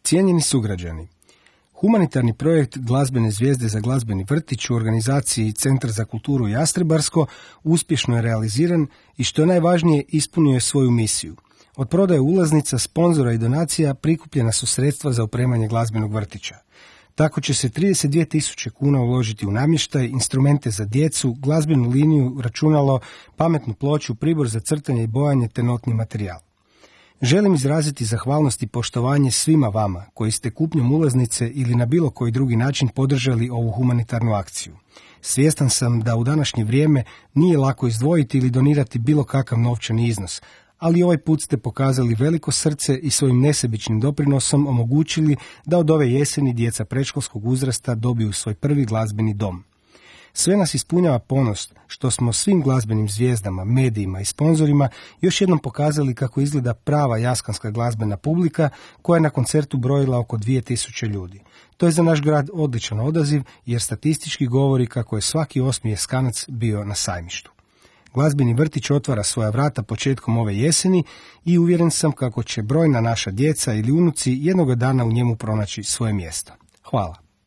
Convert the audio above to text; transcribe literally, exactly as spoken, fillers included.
Cijenjeni sugrađani, humanitarni projekt Glazbene zvijezde za glazbeni vrtić u organizaciji Centar za kulturu Jastrebarsko uspješno je realiziran i što je najvažnije ispunio je svoju misiju. Od prodaje ulaznica, sponzora i donacija prikupljena su sredstva za opremanje glazbenog vrtića. Tako će se trideset dvije tisuće kuna uložiti u namještaj, instrumente za djecu, glazbenu liniju, računalo, pametnu ploču, pribor za crtanje i bojanje te notni materijal. Želim izraziti zahvalnost i poštovanje svima vama koji ste kupnjom ulaznice ili na bilo koji drugi način podržali ovu humanitarnu akciju. Svjestan sam da u današnje vrijeme nije lako izdvojiti ili donirati bilo kakav novčani iznos, ali ovaj put ste pokazali veliko srce i svojim nesebičnim doprinosom omogućili da od ove jeseni djeca predškolskog uzrasta dobiju svoj prvi glazbeni dom. Sve nas ispunjava ponos što smo svim glazbenim zvijezdama, medijima i sponzorima još jednom pokazali kako izgleda prava jaskanska glazbena publika koja je na koncertu brojila oko dvije tisuće ljudi. To je za naš grad odličan odaziv jer statistički govori kako je svaki osmi Jaskanac bio na sajmištu. Glazbeni vrtić otvara svoja vrata početkom ove jeseni i uvjeren sam kako će brojna naša djeca ili unuci jednoga dana u njemu pronaći svoje mjesto. Hvala.